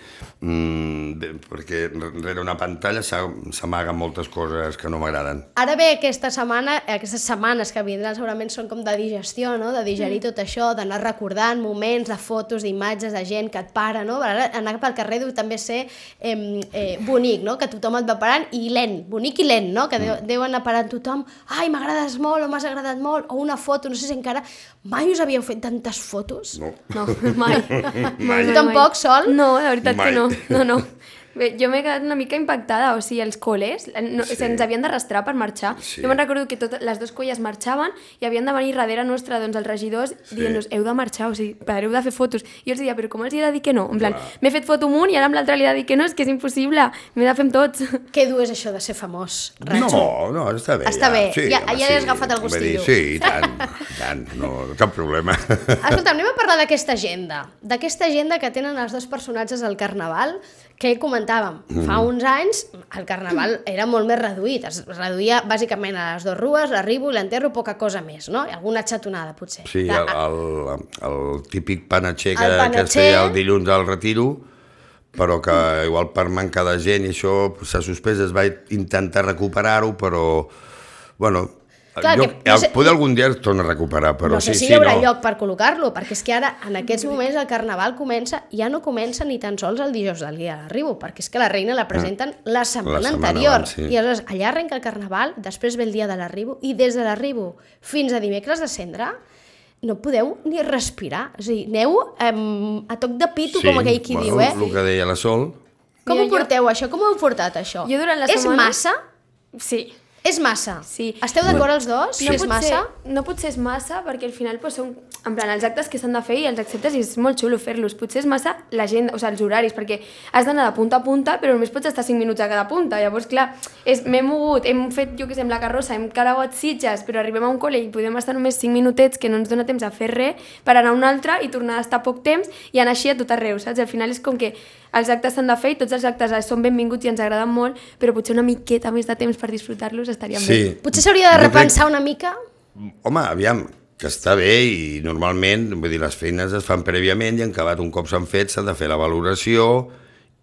Mm, bé, perquè rere una pantalla s'amaguen moltes coses que no m'agraden. Ara bé, aquesta setmana, aquestes setmanes que vindran segurament són com de digestió, no? De digerir mm. tot això, d'anar recordant moments de fotos, d'imatges, de gent que et para, no? Ara anar pel carrer deu també ser eh, eh, bonic, no? Que tothom et va parant i lent, bonic i lent, no? Que deu, mm. deu anar parant tothom, ai, m'agrades molt o m'has agradat molt, o una foto, no sé si encara... Mai us havíeu fet tantes fotos? No. No, mai. mai. Tu tampoc, Sol? No, la veritat mai. que no. No, no. Bé, jo m'he quedat una mica impactada, o sigui, els col·les no, sí. se'ns havien d'arrastrar per marxar. Sí. Jo me'n recordo que totes les dues colles marxaven i havien de venir darrere nostre doncs, els regidors sí. dient-nos, heu de marxar, o sigui, pareu de fer fotos. I jo els deia, però com els hi he de dir que no? En plan, m'he fet foto amb un i ara amb l'altre li he de dir que no, és que és impossible, m'he de fer amb tots. Què dur és això de ser famós, Racho? No, no, està bé. Està ja. bé, Sí, ja, home, ja sí. has agafat el gustillo. Sí, i tant, i tant, no, cap problema. Escolta, anem a parlar d'aquesta agenda, d'aquesta agenda que tenen els dos personatges al Carnaval, que comentàvem, mm. fa uns anys el Carnaval era molt més reduït, es reduïa bàsicament a les dues rues, l'arribo i l'enterro, poca cosa més, no? I alguna xatonada, potser. Sí, de... el, el, el típic panatxer que, El panatxer... que es feia el dilluns al retiro, però que igual per manca de gent i això s'ha suspès, es va intentar recuperar-ho, però, bueno... Clar, jo, que, no sé, poder algun dia es torna a recuperar, però no sé sí, si sí, hi haurà no. lloc per col·locar-lo, perquè és que ara, en aquests moments, el Carnaval comença, ja no comença ni tan sols el dijous del dia de l'arribo, perquè és que la reina la presenten ah, la setmana, la setmana anterior, abans, sí. I aleshores allà arrenca el Carnaval, després ve el dia de l'arribo, i des de l'arribo fins a dimecres de Cendra, no podeu ni respirar, o sigui, aneu um, a toc de pito, sí, com aquell qui bueno, diu, eh? El que deia la Sol. Com Mira, ho porteu, jo... això? Com ho heu portat, això? Jo durant la És setmana... massa? Sí. És massa? Sí. Esteu d'acord els dos? No és pot massa? Ser, no pot ser és massa, perquè al final pues, són en plan, els actes que s'han de fer i els acceptes i és molt xulo fer-los. Potser és massa la gent, o sigui, els horaris, perquè has d'anar de punta a punta, però només pots estar cinc minuts a cada punta. Llavors, clar, m'he mogut, hem fet, jo què sé, amb la carrossa, hem carauat Sitges, però arribem a un col·le i podem estar només cinc minutets, que no ens dona temps a fer res, per anar a un altre i tornar a estar poc temps i anar així a tot arreu, saps? Al final és com que els actes s'han de fer i tots els actes són benvinguts i ens agraden molt, però potser una miqueta més de temps per disfrutar-los estaria sí. bé. Potser s'hauria de repensar crec... una mica? Home, aviam, que està bé i normalment, vull dir, les feines es fan prèviament i en acabat un cop s'han fet s'ha de fer la valoració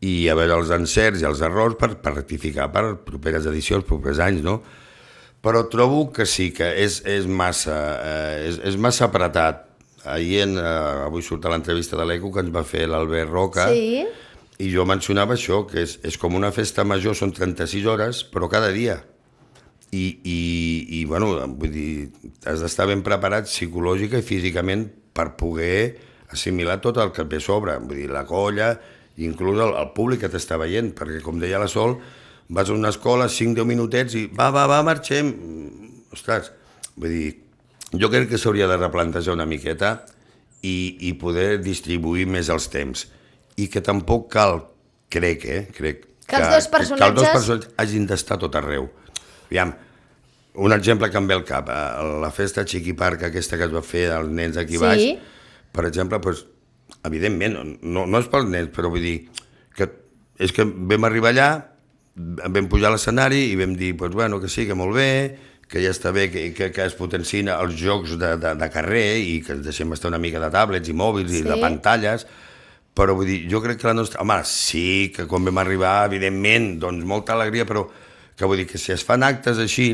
i a veure els encerts i els errors per, per rectificar per properes edicions, propers anys, no? Però trobo que sí, que és, és, massa, eh, és, és massa apretat. Ahir, en, eh, avui surt a l'entrevista de l'Eco que ens va fer l'Albert Roca, sí. I jo mencionava això, que és, és com una festa major, són trenta-sis hores, però cada dia. I, i, i bueno, vull dir, has d'estar ben preparat psicològica i físicament per poder assimilar tot el que et ve a sobre, vull dir, la colla, inclús el, el públic que t'està veient, perquè com deia la Sol, vas a una escola, cinc deu minutets i va, va, va, marxem. Ostres, vull dir, jo crec que s'hauria de replantejar una miqueta i, i poder distribuir més els temps. I que tampoc cal, crec, eh, crec, que, que els dos personatges, que els dos personatges hagin d'estar tot arreu. Aviam, un exemple que em ve al cap, la festa Chiqui Park aquesta que es va fer dels nens aquí sí. baix, per exemple, doncs, evidentment, no, no és pels nens, però vull dir que és que vam arribar allà, vam pujar a l'escenari i vam dir, doncs, bueno, que sí, que molt bé, que ja està bé que, que, que es potenciïn els jocs de, de, de carrer i que ens deixem estar una mica de tablets i mòbils sí. i de pantalles, però vull dir, jo crec que la nostra... Home, sí, que quan vam arribar, evidentment, doncs molta alegria, però que vull dir que si es fan actes així,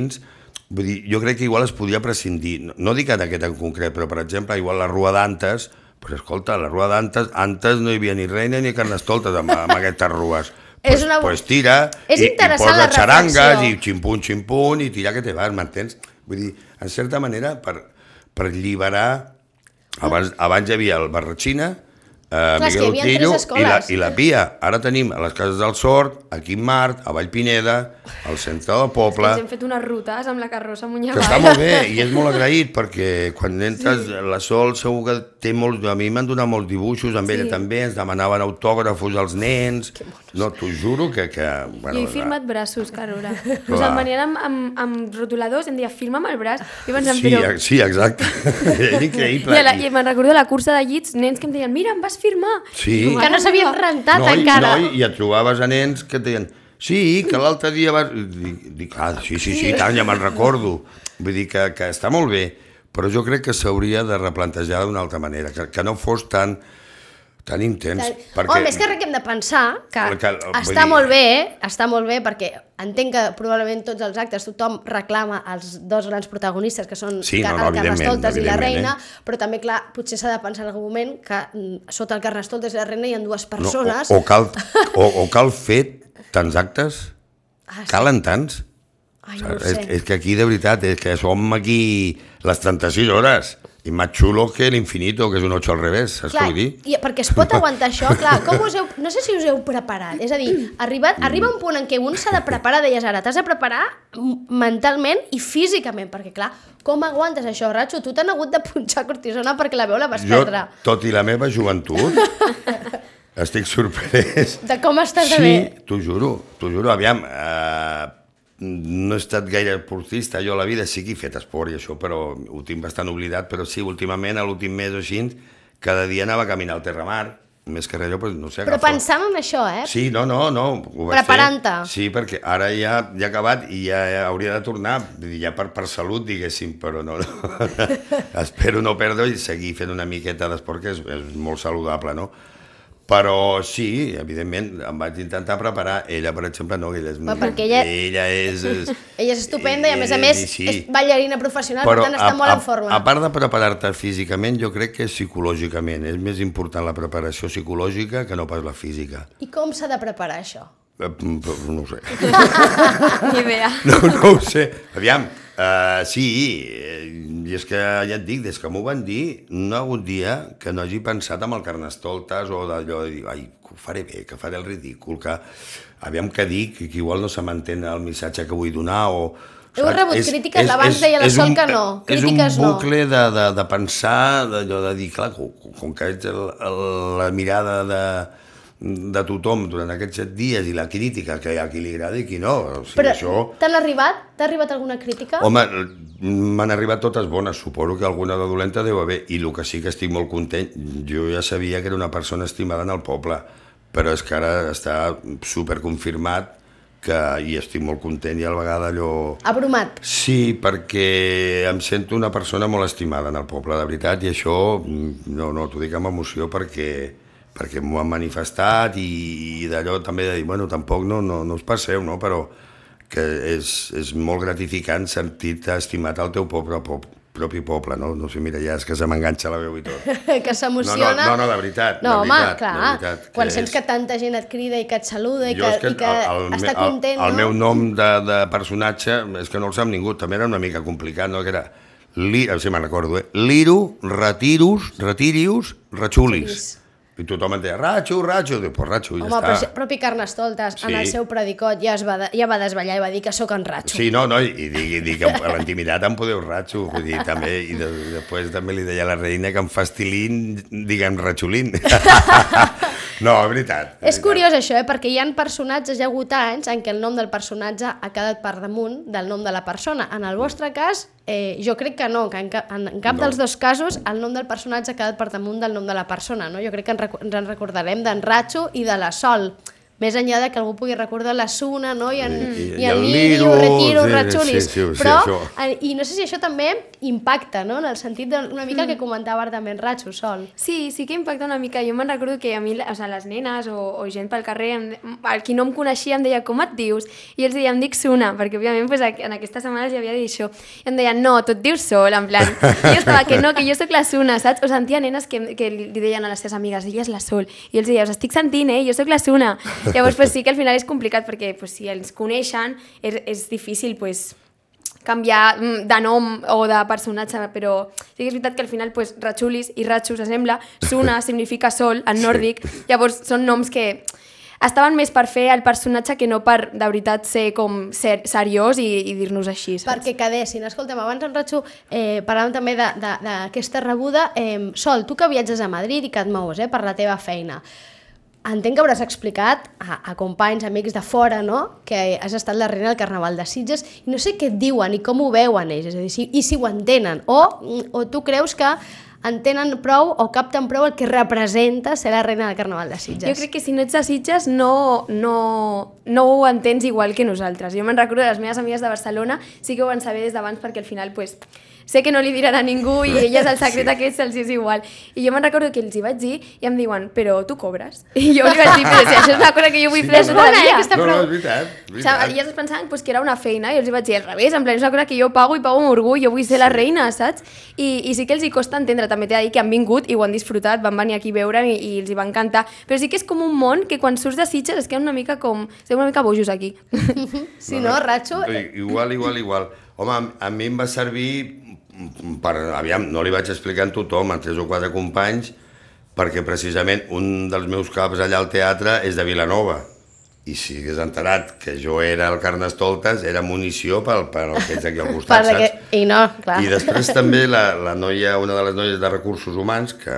vull dir, jo crec que igual es podria prescindir. No, no dic en aquest en concret, però per exemple, igual la Rua d'Antes, pues escolta, la Rua d'Antes, antes no hi havia ni reina ni carnestoltes amb, amb aquestes rues. Pues, una... pues tira, és i, i posa xarangues, i ximpun, ximpun, i tira que te vas, m'entens? Vull dir, en certa manera, per, per alliberar... Abans, abans hi havia el Barratxina, Uh, Clar, Miguel Utillo i la, i la Pia. Ara tenim a les Cases del Sort, aquí en Mart, a Vallpineda, al centre del poble... Ens hem fet unes rutes amb la carrossa amunt i avall. Que està molt bé i és molt agraït perquè quan entres sí. la Sol segur que té molts... A mi m'han donat molts dibuixos, amb sí. ella també, ens demanaven autògrafos als nens... No, t'ho juro que... que bueno, jo he firmat la... braços, Carola. Us em venien amb, amb, amb rotuladors, em deia, firma'm el braç. I pensant, sí, però... sí, exacte. És increïble. I, la, i me'n recordo la cursa de llits, nens que em deien, mira, em vas firmar. Sí. Que no s'havien rentat no, encara. No, i et trobaves a nens que et deien, sí, que l'altre dia vas... Dic, dic ah, sí, sí, sí, tant, ja me'n recordo. Vull dir que, que està molt bé, però jo crec que s'hauria de replantejar d'una altra manera, que, que no fos tan... tan intens. Tan... Perquè... Home, és que res que hem de pensar que, que està dir... molt bé, està molt bé, perquè entenc que probablement tots els actes tothom reclama els dos grans protagonistes, que són sí, no, no, no, el Carnestoltes i la Reina, eh? però també, clar, potser s'ha de pensar en algun moment que sota el Carnestoltes i la Reina hi ha dues persones... No, o, o, cal, o, o cal fer tants actes? Ah, sí. Calen tants? Ai, no ho és, sé. és que aquí, de veritat, és que som aquí les trenta-sis hores, i més xulo que l'infinito, que és un ocho al revés, saps clar, què vull dir? I perquè es pot aguantar això, clar, com us heu, no sé si us heu preparat, és a dir, arribat, arriba un punt en què un s'ha de preparar, deies ara, t'has de preparar mentalment i físicament, perquè clar, com aguantes això, Ratxo? Tu t'han hagut de punxar cortisona perquè la veu la vas jo, perdre. Tot i la meva joventut, estic sorprès. De com estàs de sí, bé? Sí, t'ho juro, t'ho juro, aviam, eh, no he estat gaire esportista jo a la vida, sí que he fet esport i això, però ho tinc bastant oblidat, però sí, últimament, a l'últim mes o així, cada dia anava a caminar al Terramar, més que res, però no sé... Però agafar... pensant en això, eh? Sí, no, no, no, ho vaig preparant-te. fer. Sí, perquè ara ja, ja he acabat i ja hauria de tornar, ja per, per salut, diguéssim, però no, no. Espero no perdre i seguir fent una miqueta d'esport, que és, és molt saludable, no? Però sí, evidentment, em vaig intentar preparar. Ella, per exemple, no, ella és... Però perquè ella... Ella és... és ella és estupenda i, a més a més, sí. és ballarina professional, però per tant, està a, molt a, en forma. A part de preparar-te físicament, jo crec que psicològicament és més important la preparació psicològica que no pas la física. I com s'ha de preparar això? Eh, no ho sé. Ni idea. No, no ho sé. Aviam, uh, sí, i és que ja et dic, des que m'ho van dir, no ha hagut dia que no hagi pensat en el Carnestoltes o d'allò de dir, ai, que ho faré bé, que faré el ridícul, que aviam què dic, que igual no se m'entén el missatge que vull donar o... Heu rebut és, crítiques, és, abans deia la Sol que no, crítiques no. És un bucle de, de, de pensar, d'allò de dir, clar, com, com que ets el, el, la mirada de... de tothom durant aquests set dies i la crítica, que hi ha qui li agrada i qui no. O sigui, però això... t'han arribat? T'ha arribat alguna crítica? Home, m'han arribat totes bones, suposo que alguna de dolenta deu haver, i el que sí que estic molt content, jo ja sabia que era una persona estimada en el poble, però és que ara està superconfirmat que hi estic molt content i a la vegada allò... Abrumat. Sí, perquè em sento una persona molt estimada en el poble, de veritat, i això, no, no, t'ho dic amb emoció perquè... perquè m'ho han manifestat i, i d'allò també de dir, bueno, tampoc no, no, no us passeu, no? Però que és, és molt gratificant sentir-te estimat al teu poble, pop, propi poble, no? No sé, mira, ja és que se m'enganxa la veu i tot. Que s'emociona. No, no, no, no, de veritat, no, de home, veritat, clar, de veritat. quan sents és... que tanta gent et crida i que et saluda i jo que, que, i que el, el, està content, el, el no? El meu nom de, de personatge és que no el sap ningú, també era una mica complicat, no? Que era, li, si me'n recordo, eh? Liro, Retirus, Retirius, Ratxulis. I tothom em deia, Ratxo, Ratxo, dic, pues Ratxo, i ja Home, està. però propi Carnestoltes, sí. En el seu predicot ja, es va de, ja va desvetllar i va dir que sóc en Ratxo. Sí, no, no, i, i, i, i que a l'intimitat em podeu Ratxo, vull dir, també, i de, després també li deia a la reina que em fastilín, diguem Ratxolín. No, és veritat. És, és curiós això, eh? Perquè hi ha personatges, hi ha hagut anys en què el nom del personatge ha quedat per damunt del nom de la persona. En el vostre cas, eh, jo crec que no, que en cap, en, en cap no. dels dos casos el nom del personatge ha quedat per damunt del nom de la persona, no? Jo crec que ens, ens en recordarem d'en Ratxo i de la Sol, més enllà de que algú pugui recordar la Suna, no? I en, i, i, i en Lirio, Retiro, sí, Ratxulis, sí, sí, sí, però, sí, i no sé si això també impacta, no? En el sentit d'una mica mm. que comentava ara també en Ratxo, Sol. Sí, sí que impacta una mica. Jo me'n recordo que a mi, o sigui, les nenes o, o gent pel carrer, em, el qui no em coneixia em deia, com et dius? I els deia, em dic Suna, perquè òbviament pues, en aquestes setmanes ja havia dit això. I em deien, no, tu et dius Sol, en plan. I jo estava, que no, que jo sóc la Suna, saps? O sentia nenes que, que li deien a les seves amigues, ella és la Sol. I els deia, us estic sentint, eh? Jo sóc la Suna. Llavors, pues, sí que al final és complicat perquè pues, si els coneixen és, és difícil pues, canviar de nom o de personatge, però sí que és veritat que al final pues, Ratxulis i Ratxo s'assembla, Suna significa sol en nòrdic, llavors són noms que estaven més per fer el personatge que no per de veritat ser com ser, seriós i, i dir-nos així. Saps? Perquè quedessin. Escolta'm, abans en Ratxo eh, parlàvem també d'aquesta rebuda. Eh, Sol, tu que viatges a Madrid i que et mous eh, per la teva feina, entenc que hauràs explicat a, a companys, amics de fora, no? Que has estat la reina del Carnaval de Sitges i no sé què et diuen i com ho veuen ells, és a dir, si, i si ho entenen. O, o tu creus que entenen prou o capten prou el que representa ser la reina del Carnaval de Sitges. Jo crec que si no ets de Sitges no, no, no ho entens igual que nosaltres. Jo me'n recordo de les meves amigues de Barcelona, sí que ho van saber des d'abans perquè al final pues, sé que no li diran a ningú i elles el secret sí. aquest se'ls és igual. I jo me'n recordo que els hi vaig dir i em diuen, però tu cobres? I jo li vaig dir, però si això és una cosa que jo vull sí, fer tota la vida. No, no, és veritat. És veritat. O sigui, elles es pensaven pues, que era una feina i els hi vaig dir al revés, en plan, és una cosa que jo pago i pago amb orgull, jo vull ser la reina, saps? I, i sí que els hi costa entendre, també t'he de dir que han vingut i ho han disfrutat, van venir aquí a veure i, i els hi va encantar. Però sí que és com un món que quan surts de Sitges es queda una mica com... Estem una mica bojos aquí. Sí, no, Ratxo? Igual, igual, igual. Home, a mi em va servir... Per, aviam, no li vaig explicar a tothom, a tres o quatre companys, perquè precisament un dels meus caps allà al teatre és de Vilanova. I si hagués enterat que jo era el Carnestoltes, era munició pel, pel que ets aquí al costat, saps? Que... I no, clar. I després també la, la noia, una de les noies de Recursos Humans, que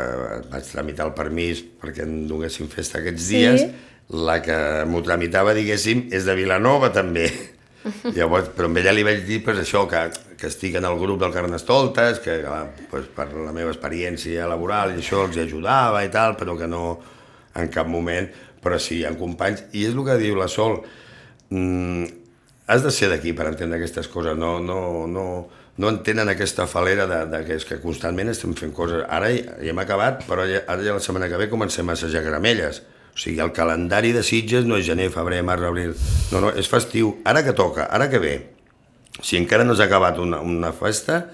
vaig tramitar el permís perquè en donessin festa aquests sí. dies, la que m'ho tramitava, diguéssim, és de Vilanova també. Llavors, però amb ella li vaig dir pues, això, que, que estic en el grup del Carnestoltes, que pues, per la meva experiència laboral i això els ajudava i tal, però que no en cap moment, però sí, hi ha companys, i és el que diu la Sol, mm, has de ser d'aquí per entendre aquestes coses, no, no, no, no entenen aquesta falera de, de que, és que constantment estem fent coses, ara ja, ja hem acabat, però ja, ara ja la setmana que ve comencem a assajar Caramelles. O sigui, el calendari de Sitges no és gener, febrer, març, abril... No, no, és festiu. Ara que toca, ara que ve. Si encara no s'ha acabat una, una festa,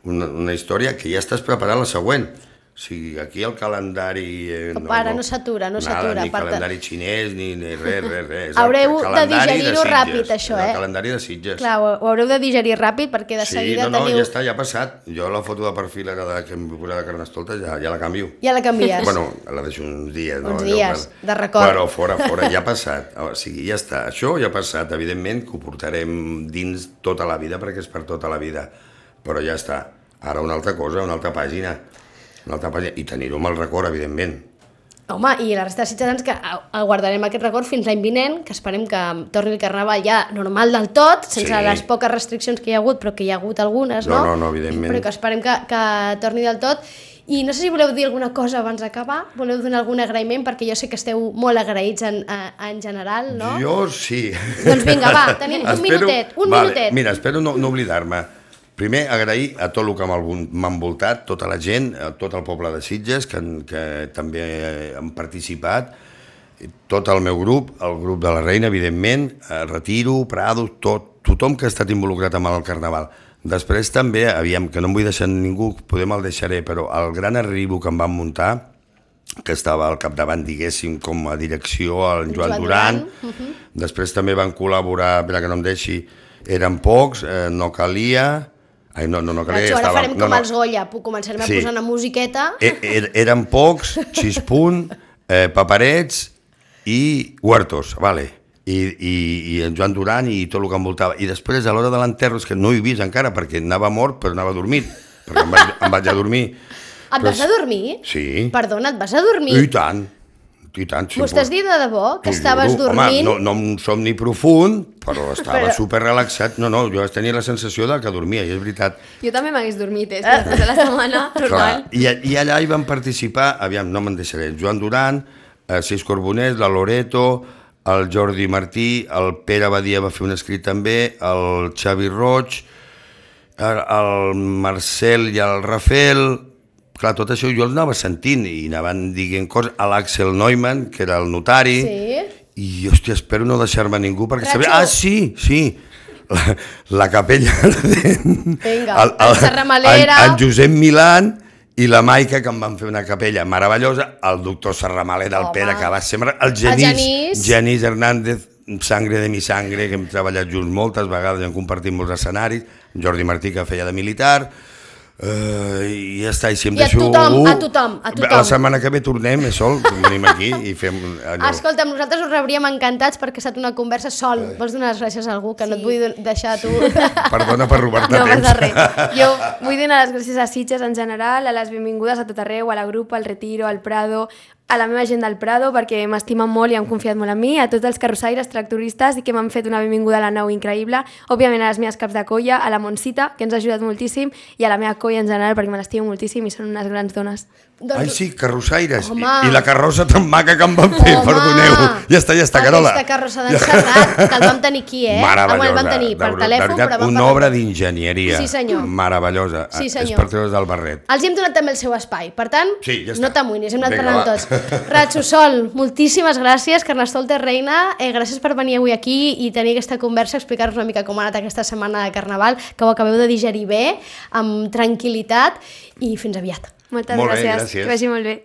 una, una història, que ja estàs preparant la següent. O sigui, aquí el calendari... Eh, no, para, no s'atura, no s'atura. Ni calendari xinès, ni, ni res, res, res. Haureu de digerir-ho ràpid, això, eh? El calendari de Sitges. Clar, ho haureu de digerir ràpid, perquè de sí, seguida no, no, teniu... Sí, ja està, ja ha passat. Jo la foto de perfil ara que em vull posar de Carnestoltes ja, ja la canvio. Ja la canvies? Bueno, la deixo uns dies. Uns no? dies, per... de record. Però fora, fora, ja ha passat. O sigui, ja està. Això ja ha passat. Evidentment que ho portarem dins tota la vida, perquè és per tota la vida. Però ja està. Ara una altra cosa, una altra pàgina. Una altra pàgina. I tenir-ho amb el record, evidentment. Home, i la resta de ciutadans que guardarem aquest record fins l'any vinent, que esperem que torni el Carnaval ja normal del tot, sense sí. les poques restriccions que hi ha hagut, però que hi ha hagut algunes, no? No, no, no, evidentment. Però que esperem que, que torni del tot. I no sé si voleu dir alguna cosa abans d'acabar, voleu donar algun agraïment, perquè jo sé que esteu molt agraïts en, en general, no? Jo sí. Doncs vinga, va, tenim un espero... minutet, un vale. minutet. Mira, espero no, no oblidar-me. Primer, agrair a tot el que m'ha envoltat, tota la gent, a tot el poble de Sitges, que, que també han participat, tot el meu grup, el grup de la Reina, evidentment, Retiro, Prado, tot, tothom que ha estat involucrat amb el Carnaval. Després també, aviam, que no em vull deixar ningú, poder me'l deixaré, però el gran arribo que em van muntar, que estava al capdavant, diguéssim, com a direcció, el Joan, Joan Duran, Duran. Uh-huh. Després també van col·laborar, per que no em deixi, eren pocs, eh, no calia... Ai, no, no, no calia, Ratxo, ara estava... farem no, com no. els Goya, començarem a sí. posar una musiqueta. E, er, eren pocs, Xispunt, eh, Paperets i Huertos, vale. I, i, i en Joan Duran i tot el que envoltava. I després, a l'hora de l'enterro, és que no he vist encara, perquè anava mort, però anava dormit, perquè em vaig, em vaig a dormir. Et però vas a dormir? Sí. Perdona, et vas a dormir? I tant. I tant, M'ho estàs dient de debò? Que estaves juro. dormint? Home, no, no un somni profund, però estava però... super relaxat. No, no, jo tenia la sensació de que dormia, i és veritat. Jo també m'hagués dormit, eh? Després de la setmana, normal. I, I allà hi van participar, aviam, no me'n deixaré, Joan Duran, eh, Sis Corboners, la Loreto, el Jordi Martí, el Pere Badia va fer un escrit també, el Xavi Roig, el, el Marcel i el Rafael... Clar, tot això jo el anava sentint i anaven dient coses, a l'Axel Neumann, que era el notari, sí. I, hòstia, espero no deixar-me ningú, perquè sabia... Ah, sí, sí, la, la capella... Vinga, el, el, el Serramalera... En, en Josep Milan i la Maica, que em van fer una capella meravellosa, el doctor Serramalera, el Pere, que va ser... El Genís, el Genís. Genís Hernández, Sangre de mi sangre, que hem treballat junts moltes vegades i hem compartit molts escenaris, Jordi Martí, que feia de militar... Uh, i ja està, i si em I a deixo... tothom, a tothom, a tothom. La setmana que ve tornem, eh, Sol, venim aquí i fem allò. Escolta, nosaltres us rebríem encantats perquè ha estat una conversa. Sol, vols donar les gràcies a algú que sí. no et vull deixar a tu? Perdona per robar-te no, temps. No passa res. Jo vull donar les gràcies a Sitges en general, a les benvingudes a tot arreu, a la grup, al Retiro, al Prado, a la meva gent del Prado, perquè m'estimen molt i han confiat molt en mi, a tots els carrossaires, tractoristes i que m'han fet una benvinguda a la nau increïble, òbviament a les meves caps de colla, a la Montsita, que ens ha ajudat moltíssim, i a la meva colla en general, perquè me l'estimo moltíssim i són unes grans dones. Doncs... Ai, sí, carrossaires. I, Home. I la carrossa tan maca que em van fer, Home. perdoneu. Ja està, ja està, Carola. Aquesta carrossa d'en Serrat, que el vam tenir aquí, eh? Meravellosa. Ah, bueno, el vam tenir per de, telèfon, de veritat, però vam una parlar- obra d'enginyeria. Sí, senyor. Meravellosa. Sí, És senyor. per treure's del barret. Els hem donat també el seu espai, per tant, Sí, ja està. no t'amoïnis, hem anat Vinga, parlant va. tots. Ratxo Sol, moltíssimes gràcies, Carnestoltes Reina, eh, gràcies per venir avui aquí i tenir aquesta conversa, explicar-nos una mica com ha anat aquesta setmana de Carnaval, que ho acabeu de digerir bé, amb tranquil·litat, i fins aviat. Moltes Molt bé, gràcies, gràcies. que vagi molt bé.